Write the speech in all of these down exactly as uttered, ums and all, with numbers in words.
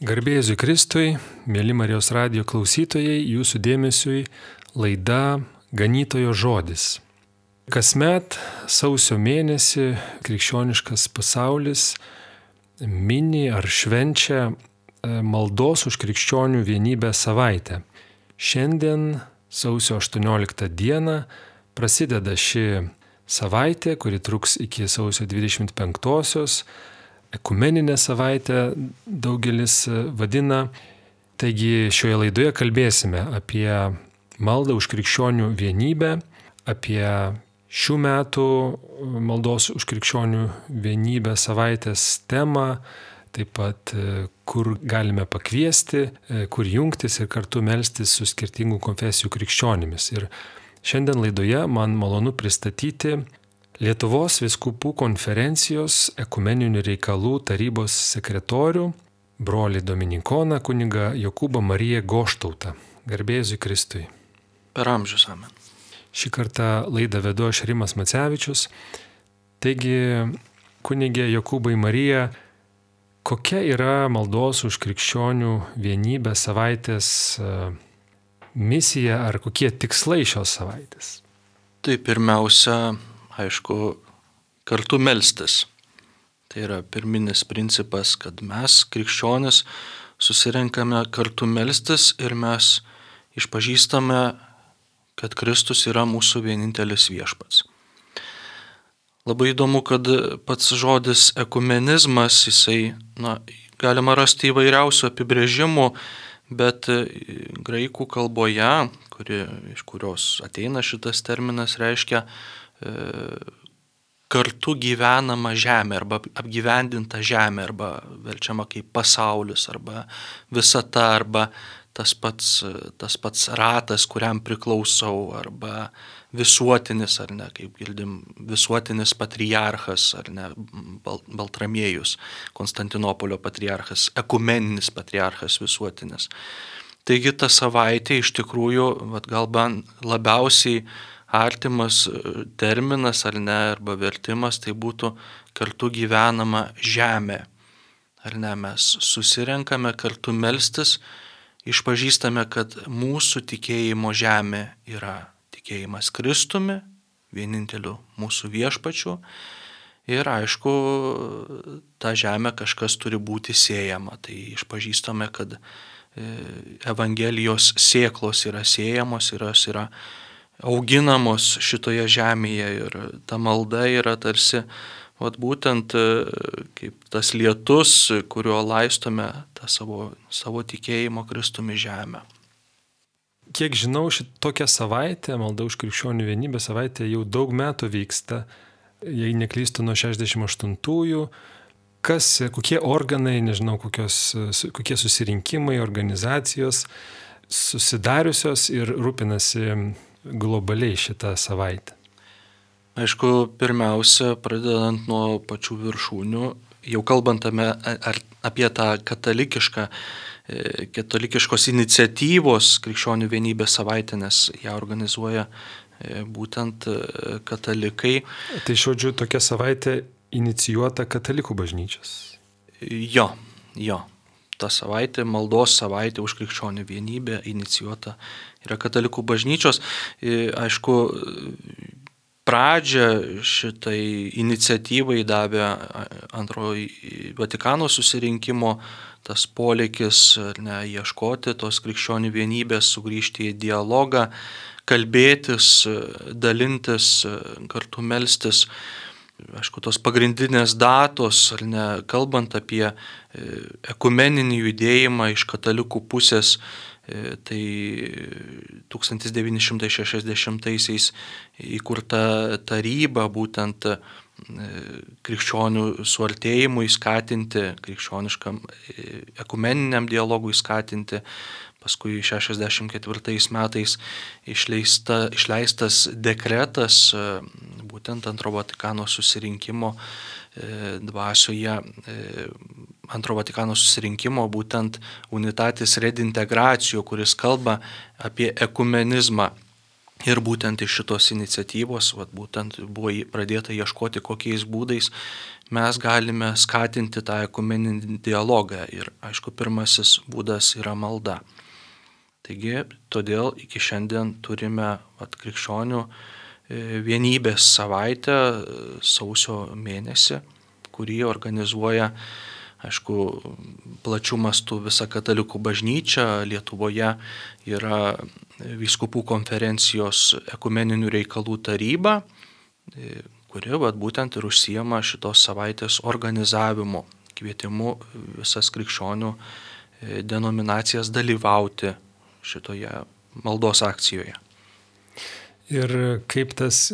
Garbė Jėzui Kristui, mėly Marijos radijo klausytojai, jūsų dėmesiui laida Ganytojo žodis. Kasmet sausio mėnesį krikščioniškas pasaulis mini ar švenčia maldos už krikščionių vienybę savaitę. Šiandien sausio aštuonioliktą dieną prasideda ši savaitė, kuri truks iki sausio dvidešimt penktosios. Ekumeninę savaitę daugelis vadina. Taigi šioje laidoje kalbėsime apie maldą už krikščionių vienybę, apie šių metų maldos už krikščionių vienybę savaitės temą, taip pat kur galime pakviesti, kur jungtis ir kartu melstis su skirtingų konfesijų krikščionimis. Ir šiandien laidoje man malonu pristatyti Lietuvos vyskupų konferencijos ekumeninių reikalų tarybos sekretorių, brolį dominikoną kunigą Jokūbą Mariją Goštautą. Garbė Jėzui Kristui. Per amžius amen. Šį kartą laidą vedu aš Rimas Macevičius. Taigi, kunigė Jokūbai Marija, kokia yra maldos už krikščionių vienybę savaitės misija ar kokie tikslai šios savaitės? Tai pirmiausia, aišku, kartu melstis. Tai yra pirminis principas, kad mes, krikščionis, susirenkame kartu melstis ir mes išpažįstame, kad Kristus yra mūsų vienintelis viešpats. Labai įdomu, kad pats žodis ekumenizmas, jisai, na, galima rasti įvairiausių apibrėžimų, bet graikų kalboje, kuri, iš kurios ateina šitas terminas, reiškia kartu gyvenama žemė arba apgyvendinta žemė arba verčiama kaip pasaulis arba visata arba tas pats, tas pats ratas, kuriam priklausau arba visuotinis ar ne, kaip girdim, visuotinis patriarchas ar ne, Baltramiejus, Konstantinopolio patriarchas, ekumeninis patriarchas visuotinis. Taigi ta savaitė iš tikrųjų vat, galbūt labiausiai artimas terminas ar ne, arba vertimas, tai būtų kartu gyvenama žemė. Ar ne, mes susirenkame kartu melstis, išpažįstame, kad mūsų tikėjimo žemė yra tikėjimas Kristumi, vieninteliu mūsų viešpačiu. Ir aišku, ta žemė kažkas turi būti sėjama. Tai išpažįstame, kad Evangelijos sėklos yra sėjamos ir jos yra auginamos šitoje žemėje ir ta malda yra tarsi vat, būtent kaip tas lietus, kuriuo laistome tą savo, savo tikėjimo Kristumi žemę. Kiek žinau, šitokia savaitė, malda už krikščionių vienybę savaitė jau daug metų vyksta, jei neklystu nuo šešiasdešimt aštuntųjų. Kas, kokie organai, nežinau, kokios, kokie susirinkimai, organizacijos susidariusios ir rūpinasi globaliai šitą savaitę? Aišku, pirmiausia, pradedant nuo pačių viršūnių, jau kalbant apie tą katalikišką, katalikiškos iniciatyvos krikščionių vienybės savaitę, nes ją organizuoja būtent katalikai. Tai žodžiu, tokia savaitė inicijuota katalikų bažnyčios? Jo, jo. Ta savaitė, maldos savaitė už krikščionių vienybę inicijuota yra katalikų bažnyčios. Aišku, pradžią šitai iniciatyvai davė antrojo Vatikano susirinkimo tas poreikis ne, ieškoti tos krikščionių vienybės, sugrįžti į dialogą, kalbėtis, dalintis, kartu melstis. Aišku, tos pagrindinės datos, ar ne, kalbant apie ekumeninį judėjimą iš katalikų pusės, tai tūkstantis devyni šimtai šešiasdešimtaisiais įkurta taryba būtent krikščionių suartėjimui skatinti, krikščioniškam ekumeniniam dialogui skatinti. Paskui šešiasdešimt ketvirtais metais išleista, išleistas dekretas būtent antro Vatikano susirinkimo dvasioje, antro Vatikano susirinkimo būtent Unitatis Redintegracijo, kuris kalba apie ekumenizmą. Ir būtent iš šitos iniciatyvos, vat, būtent buvo pradėta ieškoti, kokiais būdais mes galime skatinti tą ekumeninį dialogą. Ir aišku, pirmasis būdas yra malda. Taigi, todėl iki šiandien turime vat, krikščionių vienybės savaitę sausio mėnesį, kurį organizuoja, aišku, plačių mastų visa katalikų bažnyčia. Lietuvoje yra vyskupų konferencijos ekumeninių reikalų taryba, kuri vat, būtent ir užsiema šitos savaitės organizavimu, kvietimu visas krikščionių denominacijas dalyvauti šitoje maldos akcijoje. Ir kaip tas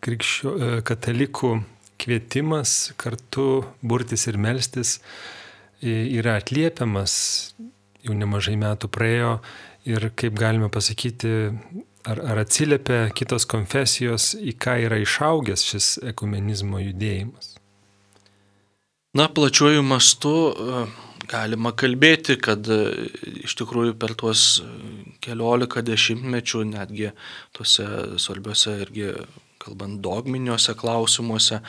krikščio, katalikų kvietimas kartu burtis ir melstis yra atliepiamas, jau nemažai metų praėjo, ir kaip galime pasakyti, ar, ar atsiliepia kitos konfesijos, į ką yra išaugęs šis ekumenizmo judėjimas? Na, plačiuoju mastu galima kalbėti, kad iš tikrųjų per tuos keliolika dešimtmečių, netgi tuose svarbiuose irgi, kalbant dogminiuose klausimuose,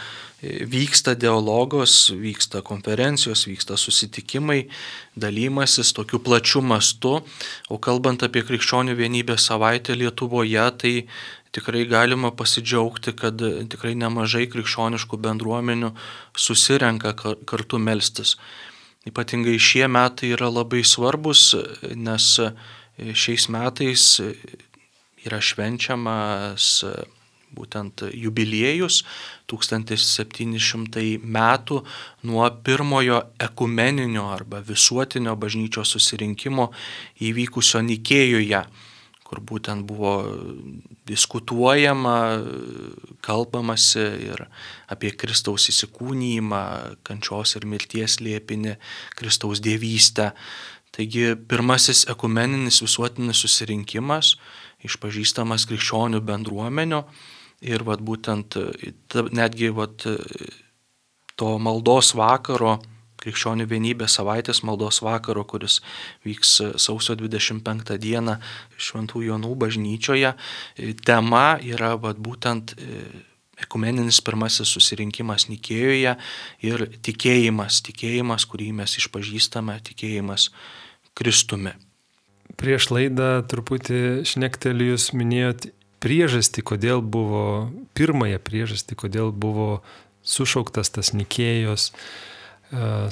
vyksta dialogos, vyksta konferencijos, vyksta susitikimai, dalymasis tokiu plačiu mastu. O kalbant apie krikščionių vienybės savaitę Lietuvoje, tai tikrai galima pasidžiaugti, kad tikrai nemažai krikščioniškų bendruomenių susirenka kartu melstis. Ypatingai šie metai yra labai svarbus, nes šiais metais yra švenčiamas būtent jubiliejus, tūkstantis septyni šimtai metų nuo pirmojo ekumeninio arba visuotinio bažnyčios susirinkimo įvykusio Nikėjoje, kur būtent buvo diskutuojama, kalbamasi ir apie Kristaus įsikūnijimą, kančios ir mirties slėpinį, Kristaus dievystę. Taigi pirmasis ekumeninis visuotinis susirinkimas, išpažįstamas krikščionių bendruomenių. Ir vat, būtent netgi vat, to maldos vakaro, krikščionių vienybės savaitės maldos vakaro, kuris vyks sausio dvidešimt penktą dieną Šventų Jonų bažnyčioje, tema yra vat, būtent ekumeninis pirmasis susirinkimas Nikėjoje ir tikėjimas, tikėjimas, kurį mes išpažįstame, tikėjimas Kristumi. Prieš laidą truputį šnekteliu, jūs minėjot priežastį, kodėl buvo, pirmąją priežastį, kodėl buvo sušauktas tas Nikėjos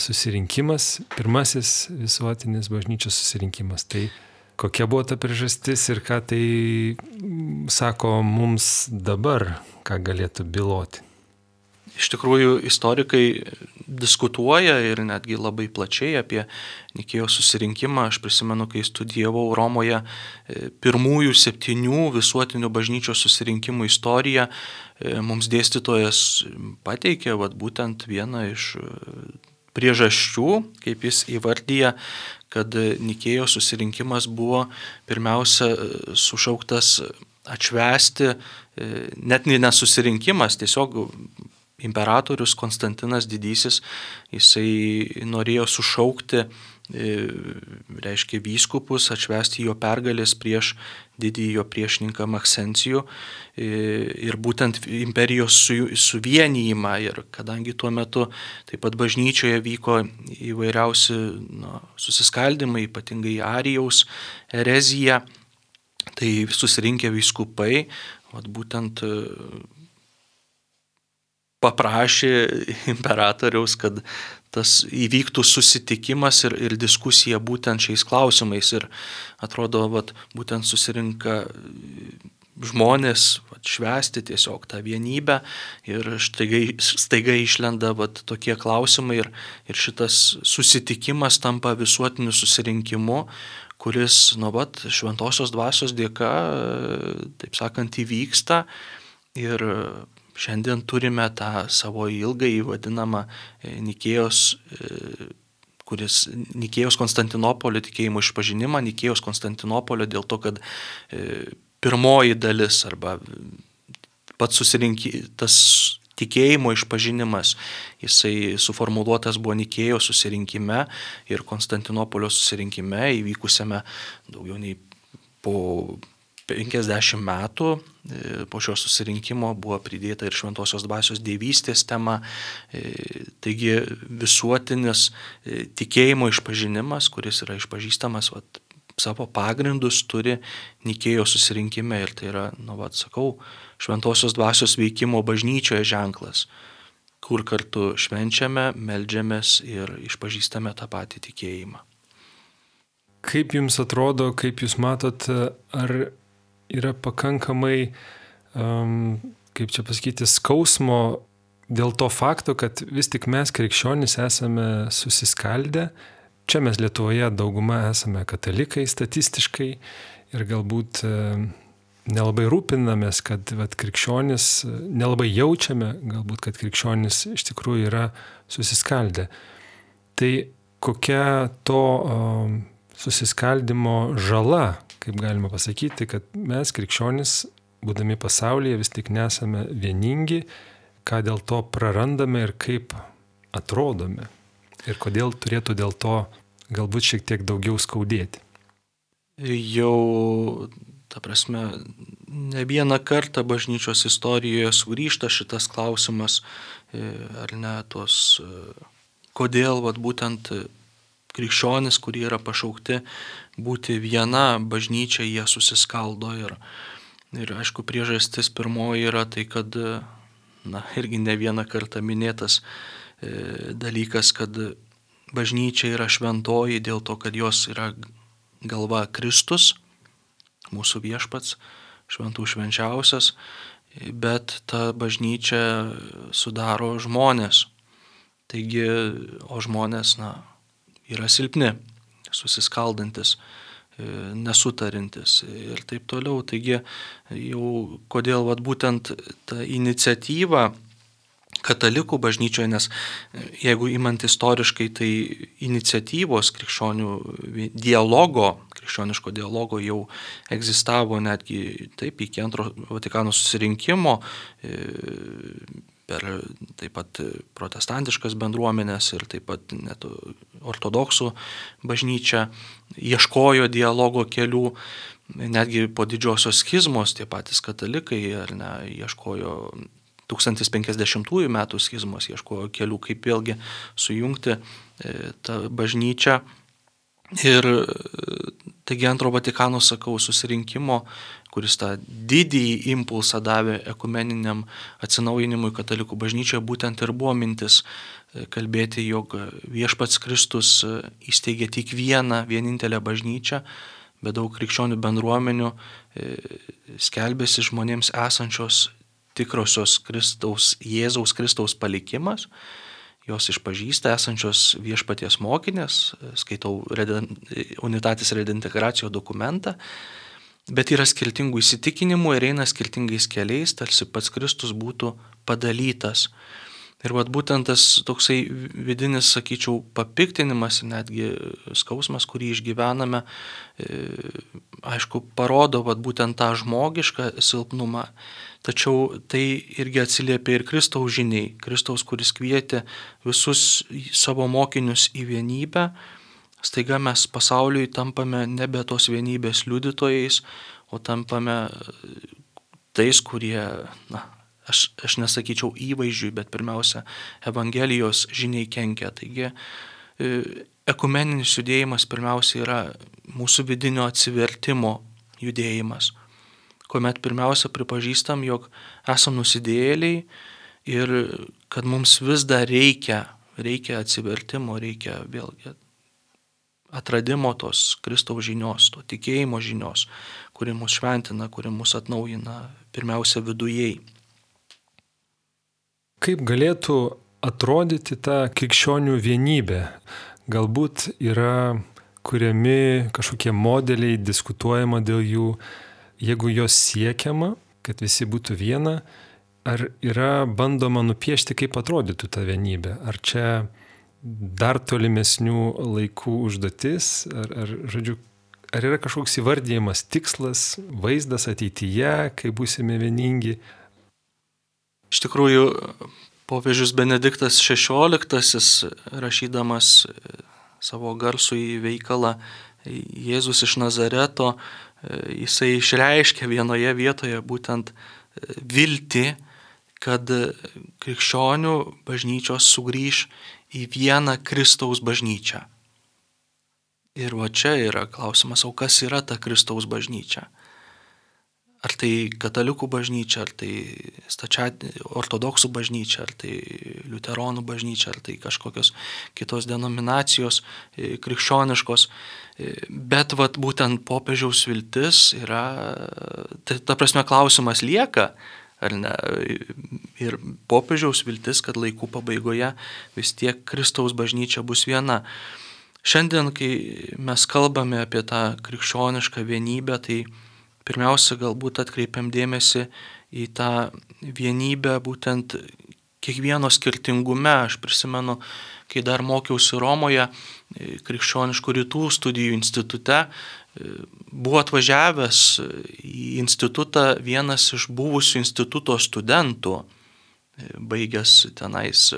susirinkimas, pirmasis visuotinis bažnyčios susirinkimas. Tai kokia buvo ta priežastis ir ką tai sako mums dabar, ką galėtų byloti? Iš tikrųjų, istorikai diskutuoja ir netgi labai plačiai apie Nikėjos susirinkimą. Aš prisimenu, kai studijavau Romoje pirmųjų septynių visuotinių bažnyčios susirinkimų istoriją, mums dėstytojas pateikė vat, būtent vieną iš priežasčių, kaip jis įvardyja, kad Nikėjos susirinkimas buvo pirmiausia sušauktas atšvęsti, net nesusirinkimas, tiesiog imperatorius Konstantinas Didysis, jisai norėjo sušaukti, reiškia, vyskupus, atšvęsti jo pergalės prieš didįjį jo priešininką Maksencijų ir būtent imperijos suvienijimą. Ir kadangi tuo metu taip pat bažnyčioje vyko įvairiausi na, susiskaldimai, ypatingai Arijaus erezija, tai susirinkę vyskupai, vat, būtent paprašė imperatoriaus, kad tas įvyktų susitikimas ir, ir diskusija būtent šiais klausimais. Ir atrodo, vat, būtent susirinka žmonės vat, švęsti tiesiog tą vienybę ir staiga, staiga išlenda vat, tokie klausimai ir, ir šitas susitikimas tampa visuotiniu susirinkimu, kuris nuo vat, šventosios dvasios dėka, taip sakant, įvyksta. Ir šiandien turime tą savo ilgai vadinamą Nikėjos, kuris Nikėjos Konstantinopolio tikėjimo išpažinimą, Nikėjos Konstantinopolio dėl to, kad pirmoji dalis arba pats susirinkimas, tikėjimo išpažinimas, jisai suformuluotas buvo Nikėjos susirinkime ir Konstantinopolio susirinkime įvykusiame daugiau nei po penkiasdešimt metų po šio susirinkimo buvo pridėta ir šventosios dvasios dievystės tema. Taigi visuotinis tikėjimo išpažinimas, kuris yra išpažįstamas vat, savo pagrindus turi Nikėjos susirinkime ir tai yra, nu, vat, sakau, šventosios dvasios veikimo bažnyčioje ženklas, kur kartu švenčiame, meldžiamės ir išpažįstame tą patį tikėjimą. Kaip jums atrodo, kaip jūs matot, ar yra pakankamai, um, kaip čia pasakyti, skausmo dėl to fakto, kad vis tik mes krikščionys esame susiskaldę. Čia mes Lietuvoje dauguma esame katalikai statistiškai ir galbūt nelabai rūpinamės, kad vat, krikščionys, nelabai jaučiame galbūt, kad krikščionys iš tikrųjų yra susiskaldę. Tai kokia to um, susiskaldimo žala, kaip galima pasakyti, kad mes krikščionys, būdami pasaulyje, vis tik nesame vieningi, ką dėl to prarandame ir kaip atrodome. Ir kodėl turėtų dėl to galbūt šiek tiek daugiau skaudėti. Jau, ta prasme, ne vieną kartą bažnyčios istorijoje sugrįžta šitas klausimas, ar ne, tos, kodėl vat, būtent krikščionis, kurie yra pašaukti būti viena bažnyčia, jie susiskaldo. Ir, ir aišku, priežastis pirmoji yra tai, kad, na, irgi ne vieną kartą minėtas e, dalykas, kad bažnyčia yra šventoji dėl to, kad jos yra galva Kristus, mūsų viešpats, šventų švenčiausias, bet ta bažnyčia sudaro žmonės. Taigi, o žmonės, na, yra silpni, susiskaldantis, nesutarintis ir taip toliau. Taigi jau kodėl vat, būtent ta iniciatyva katalikų bažnyčioje, nes jeigu imant istoriškai, tai iniciatyvos krikščionių dialogo, krikščioniško dialogo jau egzistavo netgi taip iki antro Vatikano susirinkimo, per taip pat protestantiškas bendruomenės ir taip pat net ortodoksų bažnyčia ieškojo dialogo kelių, netgi po didžiosios schizmos tie patys katalikai ar ne, ieškojo tūkstantis penkiasdešimtųjų metų schizmos, ieškojo kelių, kaip vėlgi sujungti tą bažnyčią. Ir taigi antro Vatikano, sakau, susirinkimo, kuris tą didįjį impulsą davė ekumeniniam atsinaujinimui katalikų bažnyčioje, būtent ir buvo mintis kalbėti, jog viešpats Kristus įsteigė tik vieną, vienintelę bažnyčią, bet daug krikščionių bendruomenių skelbėsi žmonėms esančios tikrosios Kristaus, Jėzaus Kristaus palikimas, jos išpažįsta esančios viešpaties mokinės, skaitau Unitatis Redintegracijo dokumentą, bet yra skirtingų įsitikinimų ir eina skirtingais keliais, tarsi pats Kristus būtų padalytas. Ir vat būtent tas toksai vidinis, sakyčiau, papiktinimas, netgi skausmas, kurį išgyvename, aišku, parodo vat būtent tą žmogišką silpnumą. Tačiau tai irgi atsiliepia ir Kristaus žiniai. Kristaus, kuris kvietė visus savo mokinius į vienybę, staiga mes pasauliui tampame nebe tos vienybės liudytojais, o tampame tais, kurie, na, aš, aš nesakyčiau įvaizdžiui, bet pirmiausia, Evangelijos žiniai kenkia. Taigi, ekumeninis judėjimas pirmiausia yra mūsų vidinio atsivertimo judėjimas, kuomet pirmiausia pripažįstam, jog esam nusidėjėliai ir kad mums vis dar reikia, reikia atsivertimo, reikia vėlgi atradimo tos Kristaus žinios, to tikėjimo žinios, kuri mus šventina, kuri mus atnaujina pirmiausia vidujei. Kaip galėtų atrodyti ta krikščionių vienybė? Galbūt yra kuriami kažkokie modeliai, diskutuojama dėl jų, jeigu jos siekiama, kad visi būtų viena, ar yra bandoma nupiešti, kaip atrodytų ta vienybė? Ar čia dar tolimesnių laikų užduotis, ar, ar, žodžiu, ar yra kažkoks įvardyjimas, tikslas, vaizdas ateityje, kai būsime vieningi? Iš tikrųjų, popiežius Benediktas šešioliktasis, rašydamas savo garsų į veikalą Jėzus iš Nazareto, jisai išreiškia vienoje vietoje būtent viltį, kad krikščionių bažnyčios sugrįž į vieną Kristaus bažnyčią. Ir va čia yra klausimas, o kas yra ta Kristaus bažnyčia? Ar tai katalikų bažnyčia, ar tai stačia ortodoksų bažnyčia, ar tai liuteronų bažnyčia, ar tai kažkokios kitos denominacijos krikščioniškos. Bet vat, būtent popiežiaus viltis yra, ta, ta prasme klausimas lieka, ar ne? Ir popiežiaus viltis, kad laikų pabaigoje vis tiek Kristaus bažnyčia bus viena. Šiandien, kai mes kalbame apie tą krikščionišką vienybę, tai pirmiausia, galbūt atkreipiam dėmesį į tą vienybę būtent kiekvieno skirtingume. Aš prisimenu, kai dar mokiausi Romoje, krikščioniškų rytų studijų institute, buvo atvažiavęs į institutą vienas iš buvusių instituto studentų, baigęs tenais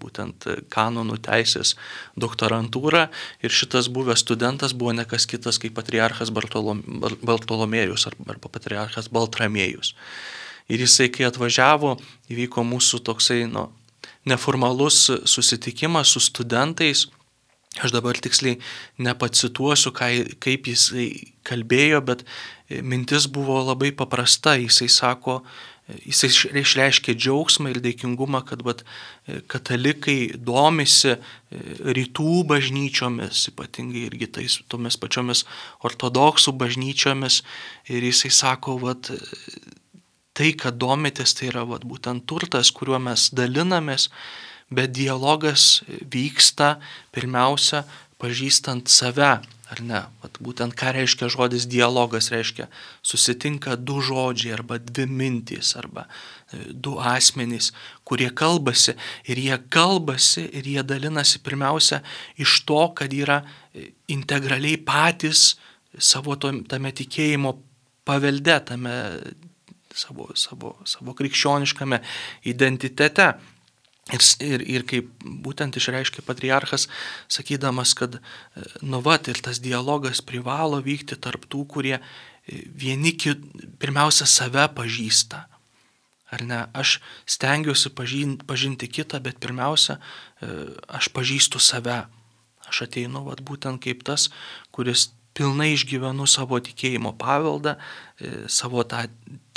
būtent kanonų teisės doktorantūrą, ir šitas buvęs studentas buvo ne kas kitas kaip patriarchas Bartolom, Bartolomėjus arba patriarchas Baltramiejus. Ir jisai, kai atvažiavo, įvyko mūsų toksai nu, neformalus susitikimas su studentais. Aš dabar tiksliai nepacituosiu, kaip jisai kalbėjo, bet mintis buvo labai paprasta. Jisai sako, jisai išreiškė džiaugsmą ir dėkingumą, kad vat, katalikai domisi rytų bažnyčiomis, ypatingai irgi tais, tomis pačiomis ortodoksų bažnyčiomis. Ir jisai sako, vat, tai, kad domitės, tai yra vat, būtent turtas, kuriuo mes dalinamės, bet dialogas vyksta pirmiausia pažįstant save. Ar ne? Vat būtent ką reiškia žodis dialogas, reiškia susitinka du žodžiai arba dvi mintys arba du asmenys, kurie kalbasi, ir jie kalbasi ir jie dalinasi pirmiausia iš to, kad yra integraliai patys savo tame tikėjimo pavelde, tame savo, savo, savo krikščioniškame identitete. Ir, ir, ir kaip būtent išreiškė patriarchas, sakydamas, kad nu vat, ir tas dialogas privalo vykti tarp tų, kurie vieni kit, pirmiausia save pažįsta. Ar ne? Aš stengiuosi pažinti, pažinti kitą, bet pirmiausia, aš pažįstu save. Aš ateinu vat, būtent kaip tas, kuris pilnai išgyvenu savo tikėjimo paveldą, savo tą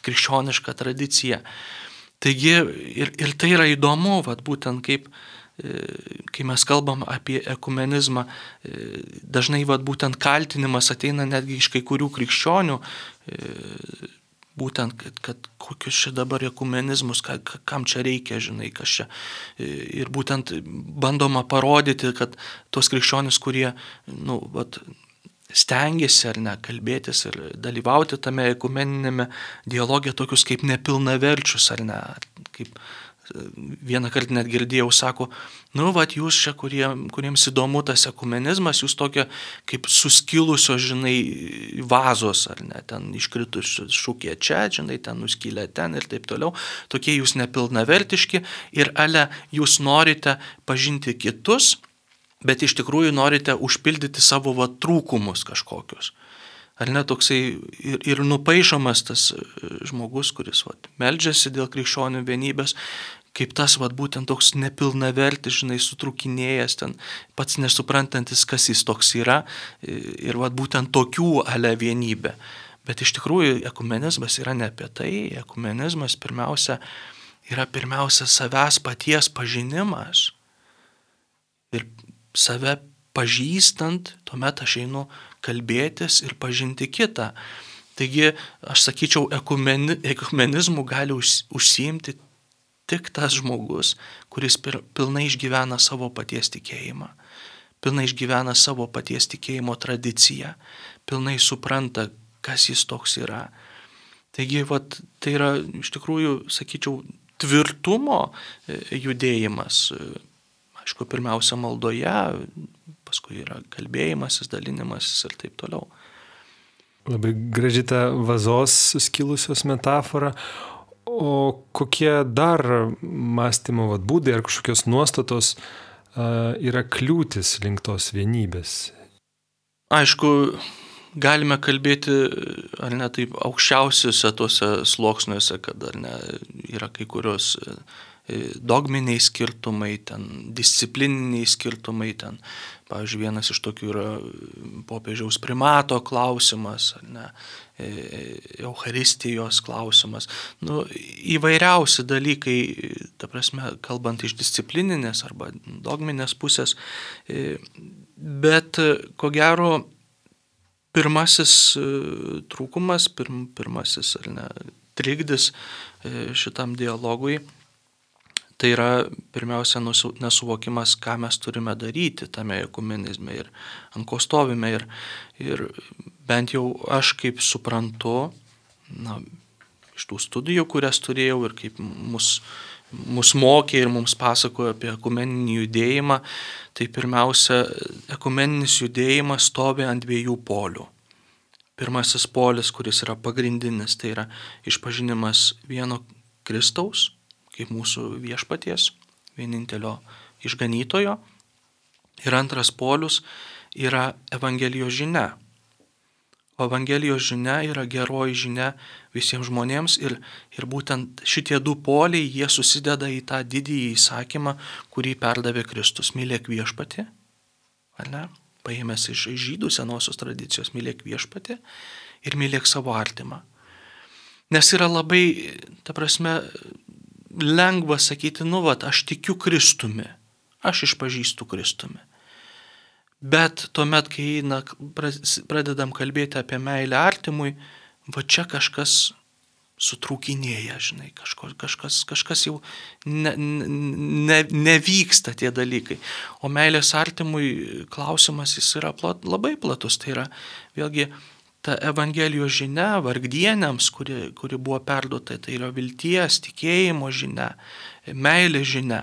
krikščionišką tradiciją. Taigi ir, ir tai yra įdomu, vat, būtent kaip, kai mes kalbam apie ekumenizmą, dažnai vat, būtent kaltinimas ateina netgi iš kai kurių krikščionių, būtent, kad, kad kokius čia dabar ekumenizmus, ka, kam čia reikia, žinai, kas čia. Ir būtent bandoma parodyti, kad tos krikščionys, kurie, nu, vat, stengiasi ar ne kalbėtis ir dalyvauti tame ekumeninėme dialoge, tokius kaip nepilnaverčius ar ne, kaip vieną kartą net girdėjau, sako, nu, vat jūs čia, kurie, kuriems įdomu tas ekumenizmas, jūs tokia kaip suskilusios, žinai, vazos, ar ne, ten iškritus šūkė čia, žinai, ten nuskylė ten ir taip toliau, tokie jūs nepilnavertiški ir ale jūs norite pažinti kitus, bet iš tikrųjų norite užpildyti savo va, trūkumus kažkokius. Ar ne toksai ir, ir nupaišomas tas žmogus, kuris va, meldžiasi dėl krikščionių vienybės, kaip tas va, būtent toks nepilnavertis, žinai, sutrūkinėjęs, ten pats nesuprantantis, kas jis toks yra, ir va, būtent tokių ale vienybė. Bet iš tikrųjų ekumenizmas yra ne apie tai, ekumenizmas pirmiausia yra pirmiausia savęs paties pažinimas. Ir save pažįstant, tuomet aš einu kalbėtis ir pažinti kitą. Taigi, aš sakyčiau, ekumeni, ekumenizmu gali už, užsiimti tik tas žmogus, kuris pir, pilnai išgyvena savo paties tikėjimą, pilnai išgyvena savo paties tikėjimo tradiciją, pilnai supranta, kas jis toks yra. Taigi, vat, tai yra iš tikrųjų, sakyčiau, tvirtumo judėjimas. Aišku, pirmiausia maldoje, paskui yra kalbėjimasis, dalinimasis ir taip toliau. Labai graži ta vazos suskilusios metafora. O kokie dar mąstymo vat, būdai ar kažkokios nuostatos yra kliūtis link tos vienybės? Aišku, galime kalbėti, ar ne, taip aukščiausiuose tuose sluoksniuose, kad ar ne, yra kai kurios dogminiai skirtumai, ten disciplininiai skirtumai, ten, pavyzdžiui, vienas iš tokių yra popiežiaus primato klausimas, ar ne, Eucharistijos klausimas. Nu, įvairiausi dalykai, ta prasme, kalbant iš disciplininės arba dogminės pusės, bet ko gero pirmasis trūkumas, pirm, pirmasis ar ne, trikdis šitam dialogui, tai yra pirmiausia nesuvokimas, ką mes turime daryti tame ekumenizme ir ant ko stovime. Ir, ir bent jau aš kaip suprantu, na, iš tų studijų, kurias turėjau ir kaip mus, mus mokė ir mums pasakojo apie ekumeninį judėjimą, tai pirmiausia, ekumeninis judėjimas stovi ant dviejų polių. Pirmasis polis, kuris yra pagrindinis, tai yra išpažinimas vieno Kristaus, kaip mūsų viešpaties, vienintelio išganytojo. Ir antras polius yra Evangelijos žinia. O Evangelijos žinia yra geroji žinia visiems žmonėms ir, ir būtent šitie du poliai, jie susideda į tą didįjį įsakymą, kurį perdavė Kristus. Mylėk viešpatį, ar ne? Paėmęs iš žydų senosios tradicijos, mylėk viešpatį ir mylėk savo artimą. Nes yra labai, ta prasme, lengva sakyti, nu vat, aš tikiu Kristumi, aš išpažįstu Kristumi. Bet tuomet, kai na, pradedam kalbėti apie meilę artimui, va čia kažkas sutrūkinėja, žinai, kažko, kažkas, kažkas jau ne, ne, nevyksta tie dalykai. O meilės artimui klausimas jis yra plat, labai platus, tai yra vėlgi ta Evangelijos žinia vargdieniams, kuri, kuri buvo perduota, tai yra vilties, tikėjimo žinia, meilės žinia.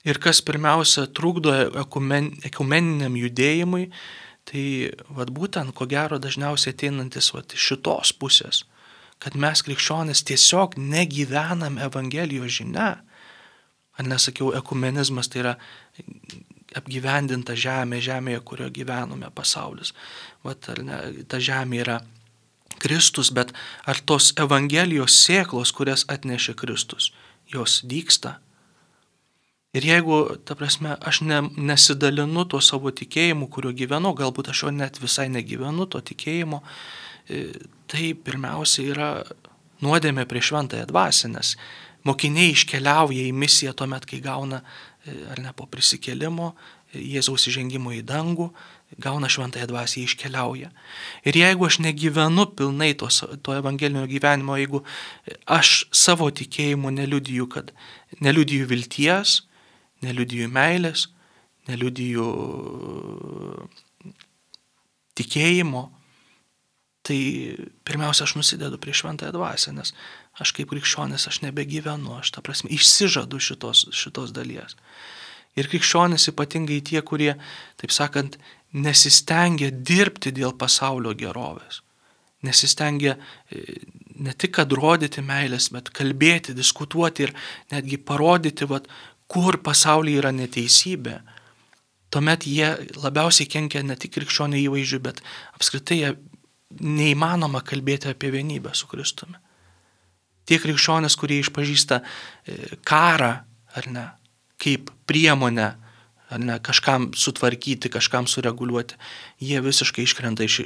Ir kas pirmiausia trukdo ekumen, ekumeniniam judėjimui, tai vat, būtent, ko gero, dažniausiai ateinantis vat, šitos pusės, kad mes krikščionys tiesiog negyvenam Evangelijos žinia. Ar nesakiau, ekumenizmas tai yra apgyvendinta žemė, žemėje, kurioje gyvenome pasaulis. Vat, ar ne, ta žemė yra Kristus, bet ar tos Evangelijos sėklos, kurias atnešė Kristus, jos dygsta? Ir jeigu, ta prasme, aš ne, nesidalinu tuo savo tikėjimu, kuriuo gyvenu, galbūt aš jo net visai negyvenu, to tikėjimo, tai pirmiausia yra nuodėmė prieš šventąją dvasią, nes mokiniai iškeliauja į misiją tuomet, kai gauna, ar ne, po prisikėlimo, Jėzaus įžengimo į dangų, gauna šventąją dvasią, iškeliauja. Ir jeigu aš negyvenu pilnai to, to evangelinio gyvenimo, jeigu aš savo tikėjimu neliudiju, kad neliudiju vilties, neliudiju meilės, neliudiju tikėjimo, tai pirmiausia, aš nusidedu prie šventąją dvasią, nes aš kaip krikščionis, aš nebegyvenu, aš ta prasme išsižadu šitos, šitos dalies. Ir krikščionis ypatingai tie, kurie, taip sakant, nesistengia dirbti dėl pasaulio gerovės. Nesistengia ne tik, kad rodyti meilės, bet kalbėti, diskutuoti ir netgi parodyti, vat, kur pasaulyje yra neteisybė. Tuomet jie labiausiai kenkia ne tik krikščionių įvaizdžiui, bet apskritai jie neįmanoma kalbėti apie vienybę su Kristumi. Tie krikščionys, kurie išpažįsta karą, ar ne, kaip priemonę, ar ne, kažkam sutvarkyti, kažkam sureguliuoti, jie visiškai iškrenta iš,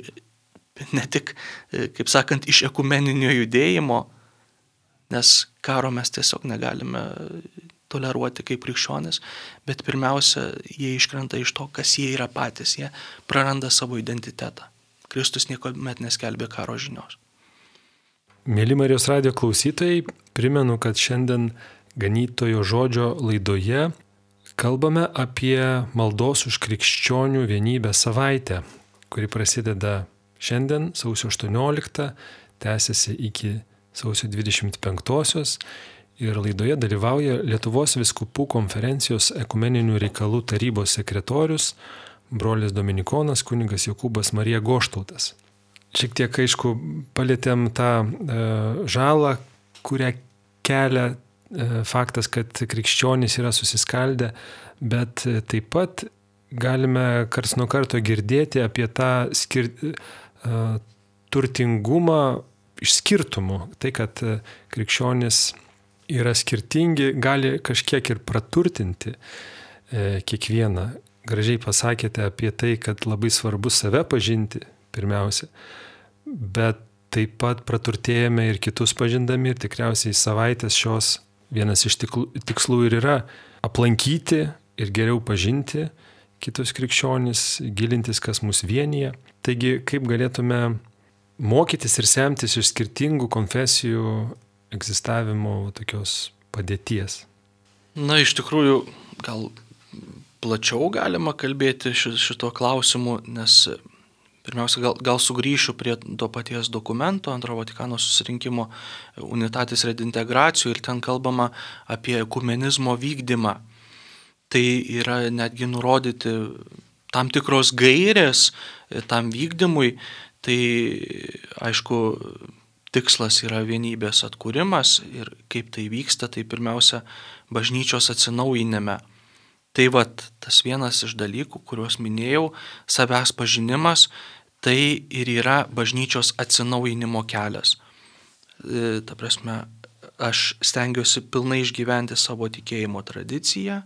ne tik, kaip sakant, iš ekumeninio judėjimo, nes karo mes tiesiog negalime toleruoti kaip krikščionys, bet pirmiausia, jie iškrenta iš to, kas jie yra patys, jie praranda savo identitetą. Kristus niekuomet neskelbė karo žinios. Mėly Marijos radijo klausytojai, primenu, kad šiandien Ganytojo žodžio laidoje kalbame apie maldos už krikščionių vienybę savaitę, kuri prasideda šiandien, sausio aštuonioliktą, tęsiasi iki sausio dvidešimt penktosios ir laidoje dalyvauja Lietuvos vyskupų konferencijos ekumeninių reikalų tarybos sekretorius, brolis dominikonas kunigas Jokūbas Marija Goštautas. Šiek tiek, aišku, palėtėm tą e, žalą, kurią kelia faktas, kad krikščionys yra susiskaldę, bet taip pat galime karts nuo karto girdėti apie tą skir... turtingumą iš skirtumų. Tai, kad krikščionys yra skirtingi, gali kažkiek ir praturtinti kiekvieną. Gražiai pasakėte apie tai, kad labai svarbu save pažinti pirmiausia, bet taip pat praturtėjame ir kitus pažindami ir tikriausiai savaitės šios vienas iš tikslų ir yra aplankyti ir geriau pažinti kitus krikščionis, gilintis, kas mus vienyje. Taigi, kaip galėtume mokytis ir semtis iš skirtingų konfesijų egzistavimo tokios padėties? Na, iš tikrųjų, gal plačiau galima kalbėti šito klausimu, nes pirmiausia, gal, gal sugrįšiu prie to paties dokumento, Antro Vatikano susirinkimo Unitatis Redintegracijų ir ten kalbama apie ekumenizmo vykdymą. Tai yra netgi nurodyti tam tikros gairės tam vykdymui, tai aišku, tikslas yra vienybės atkūrimas ir kaip tai vyksta, tai pirmiausia, bažnyčios atsinaujinime. Tai vat, tas vienas iš dalykų, kuriuos minėjau, savęs pažinimas, tai ir yra bažnyčios atsinaujinimo kelias. E, ta prasme, aš stengiuosi pilnai išgyventi savo tikėjimo tradiciją,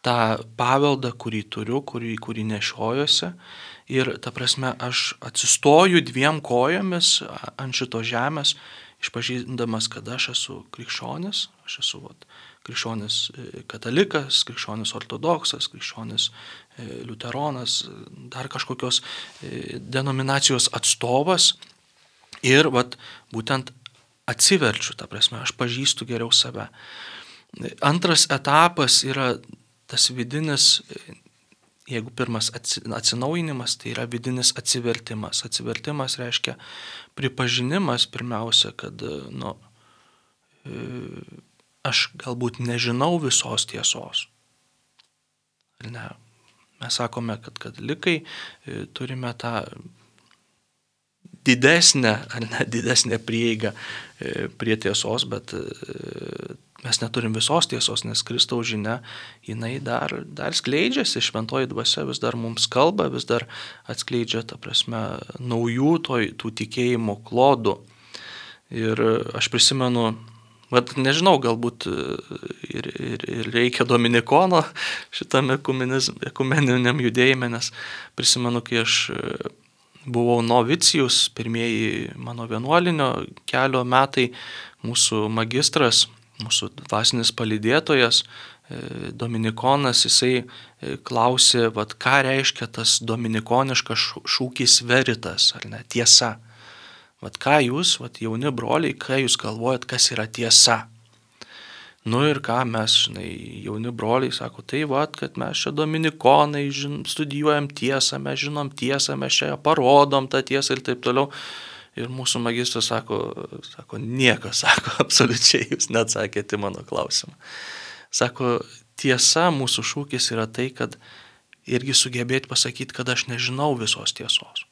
tą paveldą, kurį turiu, kurį, kurį nešiojuosi. Ir, ta prasme, aš atsistoju dviem kojomis ant šito žemės, išpažindamas, kad aš esu krikščionis, aš esu vat, krikščionis katalikas, krikščionis ortodoksas, krikščionis liuteronas, dar kažkokios denominacijos atstovas. Ir vat, būtent atsiverčiu, ta prasme, aš pažįstu geriau save. Antras etapas yra tas vidinis, jeigu pirmas atsinaujinimas, tai yra vidinis atsivertimas. Atsivertimas reiškia pripažinimas pirmiausia, kad nu, aš galbūt nežinau visos tiesos. Ne. Mes sakome, kad katalikai turime tą didesnę, ar ne didesnę prieigą prie tiesos, bet mes neturim visos tiesos, nes Kristaus žinia, jinai dar, dar skleidžiasi, šventoji dvasia vis dar mums kalba, vis dar atskleidžia, ta prasme, naujų toj, tų tikėjimo klodų. Ir aš prisimenu, vat, nežinau, galbūt ir, ir, ir reikia Dominikono šitame ekumeniniam judėjime, nes prisimenu, kai aš buvau novicijus, pirmieji mano vienuolinio kelio metai, mūsų magistras, mūsų dvasinis palydėtojas, Dominikonas, jisai klausė, vat, ką reiškia tas dominikoniškas šūkis veritas, ar ne, tiesa. Vat ką jūs, vat, jauni broliai, ką jūs galvojat, kas yra tiesa? Nu ir ką mes, žinai, jauni broliai, sako, tai vat, kad mes čia dominikonai žin, studijuojam tiesą, mes žinom tiesą, mes čia parodom tą tiesą ir taip toliau. Ir mūsų magistras sako, sako, nieko, sako, absoliučiai jūs neatsakėte mano klausimą. Sako, tiesa, mūsų šūkis yra tai, kad irgi sugebėti pasakyti, kad aš nežinau visos tiesos.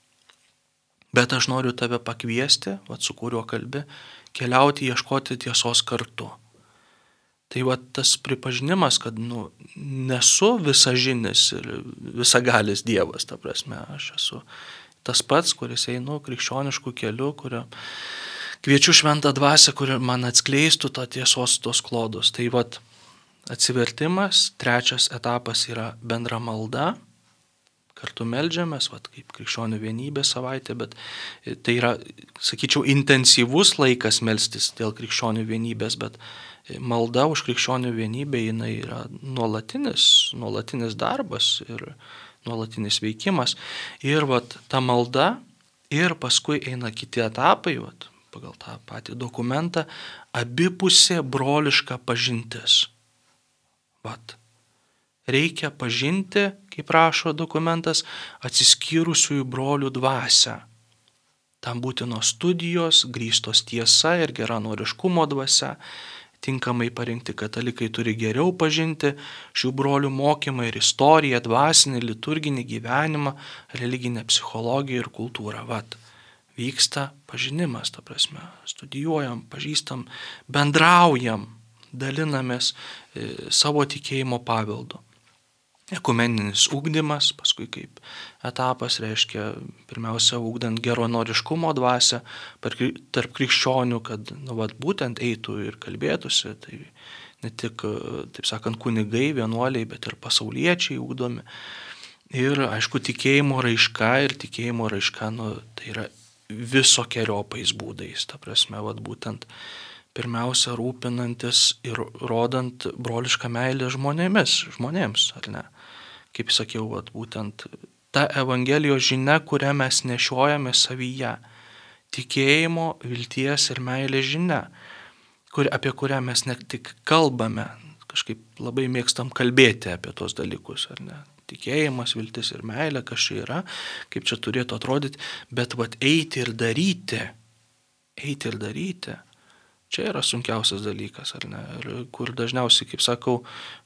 Bet aš noriu tave pakviesti, vat, su kuriuo kalbi, keliauti, ieškoti tiesos kartu. Tai vat, tas pripažinimas, kad nu, nesu visažinis ir visagalis Dievas, ta prasme, aš esu tas pats, kuris einu krikščioniškų kelių, kurio kviečiu šventą dvasią, kuri man atskleistų tą tiesos tos klodus. Tai vat, atsivertimas, trečias etapas yra bendra malda. Kartu meldžiamės, vat, kaip krikščionių vienybės savaitė, bet tai yra, sakyčiau, intensyvus laikas melstis dėl krikščionių vienybės, bet malda už krikščionių vienybę jinai yra nuolatinis, nuolatinis darbas ir nuolatinis veikimas. Ir vat, ta malda ir paskui eina kiti etapai, vat, pagal tą patį dokumentą, abipusė broliška pažintis. Vat. Reikia pažinti, kaip rašo dokumentas, atsiskyrusiųjų brolių dvasią. Tam būtinos studijos, grįstos tiesa ir geranoriškumo dvasia. Tinkamai parinkti katalikai turi geriau pažinti šių brolių mokymą ir istoriją, dvasinį, liturginį gyvenimą, religinę psichologiją ir kultūrą. Vat, vyksta pažinimas, ta prasme, studijuojam, pažįstam, bendraujam. dalinamės savo tikėjimo paveldu. Ekumeninis ugdymas, paskui kaip etapas reiškia pirmiausia ugdant geranoriškumo dvasią tarp krikščionių, kad nu, vat, būtent eitų ir kalbėtųsi, tai ne tik, taip sakant, kunigai, vienuoliai, bet ir pasauliečiai ugdomi. Ir aišku, tikėjimo raiška ir tikėjimo raiška, nu, tai yra visokiojopais būdais, ta prasme, vat, būtent pirmiausia rūpinantis ir rodant brolišką meilę žmonėmis, žmonėms, ar ne? Kaip sakiau, vat, būtent ta Evangelijos žinia, kurią mes nešiojame savyje. Tikėjimo, vilties ir meilės žinia, kur, apie kurią mes ne tik kalbame, kažkaip labai mėgstam kalbėti apie tos dalykus, ar ne? Tikėjimas, viltis ir meilė, kas čia yra, kaip čia turėtų atrodyti, bet vat, eiti ir daryti, eiti ir daryti. Čia yra sunkiausias dalykas, ar ne? Ir kur dažniausiai, kaip sakau,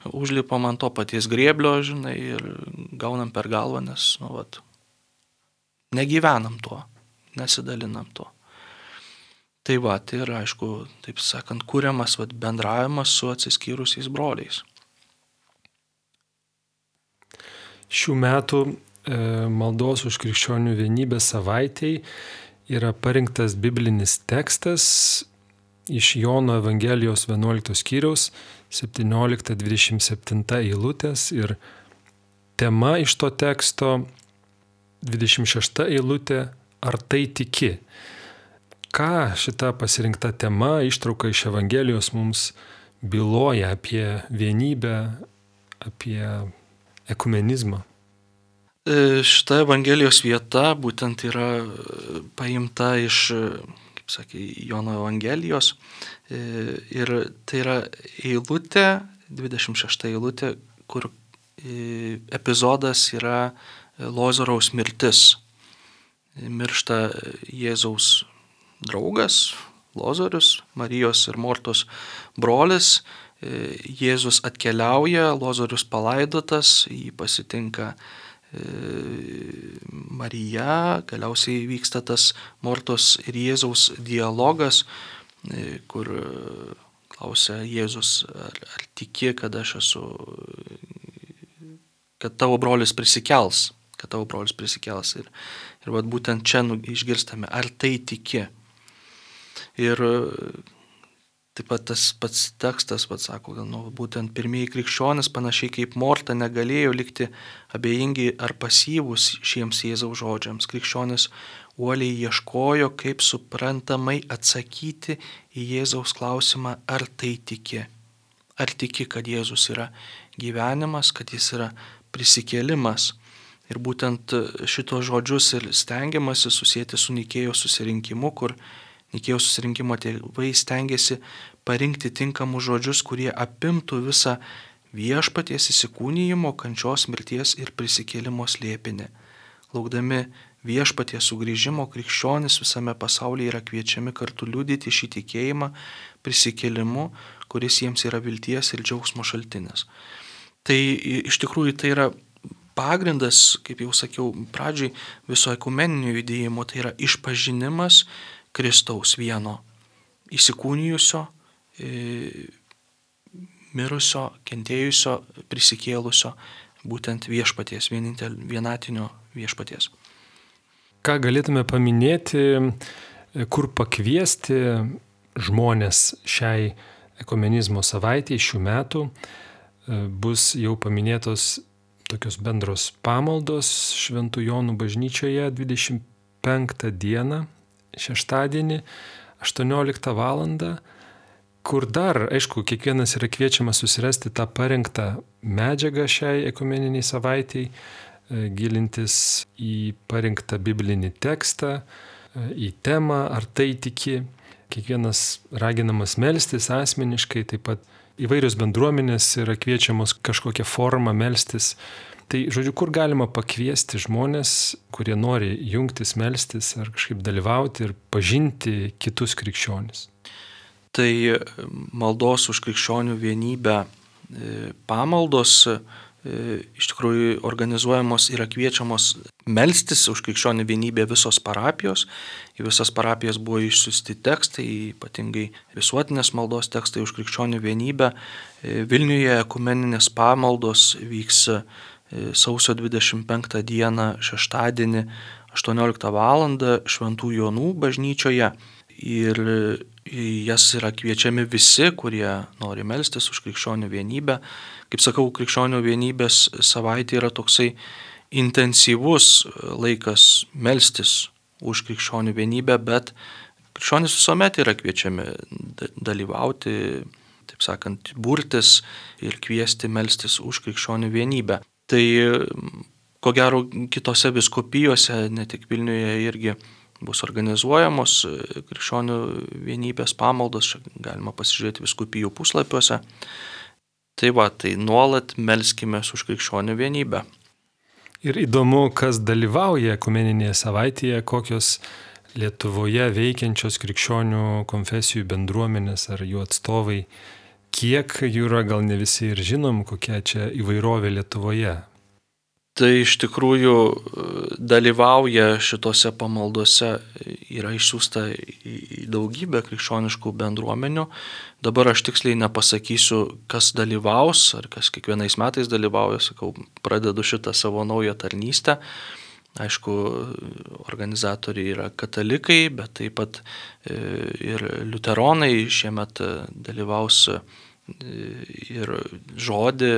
užlipam ant to paties grėblio, žinai, ir gaunam per galvą, nes, nu, vat, negyvenam tuo, nesidalinam tuo. Tai va, tai yra, aišku, taip sakant, kuriamas vat, bendravimas su atsiskyrusiais broliais. Šių metų e, maldos už krikščionių vienybę savaitei yra parinktas biblinis tekstas iš Jono Evangelijos vienuoliktos skyriaus septyniolikta dvidešimt septinta eilutės ir tema iš to teksto dvidešimt šešta eilutė ar tai tiki. Ką šita pasirinkta tema, ištrauka iš Evangelijos mums byloja apie vienybę, apie ekumenizmą? Šita Evangelijos vieta būtent yra paimta iš, kaip sakė, Jono Evangelijos ir tai yra eilutė, dvidešimt šešta eilutė, kur epizodas yra Lozoriaus mirtis. Miršta Jėzaus draugas, Lozorius, Marijos ir Mortos brolis. Jėzus atkeliauja, Lozorius palaidotas, jį pasitinka Marija, galiausiai vyksta tas Mortos ir Jėzaus dialogas, kur klausia Jėzus, ar, ar tiki, kad aš esu, kad tavo brolis prisikels, kad tavo brolis prisikels. Ir, ir vat būtent čia išgirstame, ar tai tiki. Ir taip pat tas pats tekstas, pats sako, kad nu, būtent pirmieji krikščionys, panašiai kaip Morta, negalėjo likti abejingi ar pasyvūs šiems Jėzaus žodžiams. Krikščionys uoliai ieškojo, kaip suprantamai atsakyti į Jėzaus klausimą, ar tai tiki. Ar tiki, kad Jėzus yra gyvenimas, kad jis yra prisikėlimas. Ir būtent šitos žodžius ir stengiamasi susijęti su Nikėjos susirinkimu, kur Nikėjos susirinkimo tėvai stengiasi parinkti tinkamus žodžius, kurie apimtų visą viešpaties įsikūnijimo, kančios, mirties ir prisikėlimo slėpinį. Laukdami viešpaties sugrįžimo, krikščionys visame pasaulyje yra kviečiami kartu liudyti šį tikėjimą prisikėlimu, kuris jiems yra vilties ir džiaugsmo šaltinis. Tai iš tikrųjų tai yra pagrindas, kaip jau sakiau pradžiai, viso ekumeninio judėjimo, tai yra išpažinimas Kristaus vieno įsikūnijusio, mirusio, kentėjusio, prisikėlusio, būtent viešpaties, vienatinio viešpaties. Ką galėtume paminėti, kur pakviesti žmonės šiai ekumenizmo savaitei šių metų? Bus jau paminėtos tokios bendros pamaldos Šventų Jonų bažnyčioje dvidešimt penktą dieną, šeštadienį, aštuonioliktą valandą, kur dar, aišku, kiekvienas yra kviečiamas susirasti tą parengtą medžiagą šiai ekumeniniai savaitei, gilintis į parinktą biblinį tekstą, į temą, ar tai tiki. Kiekvienas raginamas melstis asmeniškai, taip pat įvairios bendruomenės yra kviečiamos kažkokią formą melstis. Tai, žodžiu, kur galima pakviesti žmonės, kurie nori jungtis, melstis ar kažkaip dalyvauti ir pažinti kitus krikščionis? Tai maldos už krikščionių vienybę pamaldos iš tikrųjų organizuojamos yra kviečiamos melstis už krikščionių vienybę visos parapijos. Į visas parapijas buvo išsiųsti tekstai, ypatingai visuotinės maldos tekstai už krikščionių vienybę. Vilniuje ekumeninės pamaldos vyks sausio dvidešimt penktą dieną šeštadienį aštuonioliktą valandą Šventų Jonų bažnyčioje. Ir į jas yra kviečiami visi, kurie nori melstis už krikščionių vienybę. Kaip sakau, krikščionių vienybės savaitė yra toksai intensyvus laikas melstis už krikščionių vienybę, bet krikščionys visuomet yra kviečiami dalyvauti, taip sakant, burtis ir kviesti melstis už krikščionių vienybę. Tai ko gero kitose vyskupijose, ne tik Vilniuje, irgi bus organizuojamos krikščionių vienybės pamaldos, galima pasižiūrėti vyskupijų puslapiuose. Tai va, tai nuolat melskimės už krikščionių vienybę. Ir įdomu, kas dalyvauja ekumeninėje savaitėje, kokios Lietuvoje veikiančios krikščionių konfesijų bendruomenės ar jų atstovai, kiek jų yra, gal ne visi ir žinom, kokia čia įvairovė Lietuvoje. Tai iš tikrųjų dalyvauja šitose pamaldose, yra išsiųsta į daugybę krikščioniškų bendruomenių. Dabar aš tiksliai nepasakysiu, kas dalyvaus, ar kas kiekvienais metais dalyvauja, sakau, pradedu šitą savo naują tarnystę. Aišku, organizatoriai yra katalikai, bet taip pat ir liuteronai šiemet dalyvaus ir žodį,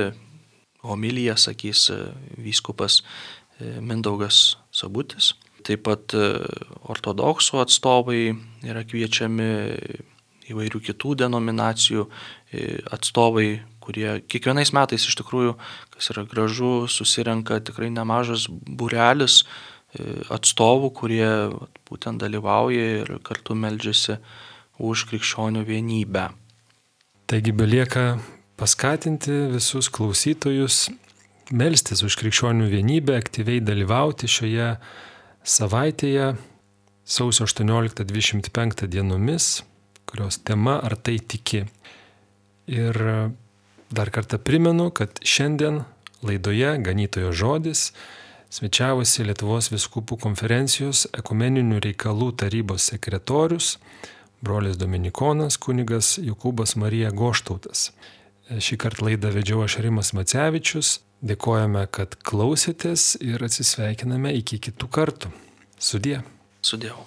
homiliją sakys vyskupas Mindaugas Sabutis. Taip pat ortodoksų atstovai yra kviečiami, įvairių kitų denominacijų atstovai, kurie kiekvienais metais iš tikrųjų, kas yra gražu, susirenka tikrai nemažas būrelis atstovų, kurie būtent dalyvauja ir kartu meldžiasi už krikščionių vienybę. Taigi belieka paskatinti visus klausytojus melstis už krikščionių vienybę, aktyviai dalyvauti šioje savaitėje sausio aštuonioliktą dvidešimt penktą dienomis, kurios tema Ar tai tiki. Ir dar kartą primenu, kad šiandien laidoje Ganytojo žodis svečiavosi Lietuvos vyskupų konferencijos ekumeninių reikalų tarybos sekretorius, brolis dominikonas kunigas Jokūbas Marija Goštautas. Šį kartą laidą vedžiau aš Rimas Macevičius. Dėkojame, kad klausėtės ir atsisveikiname iki kitų kartų. Sudie. Sudėjau.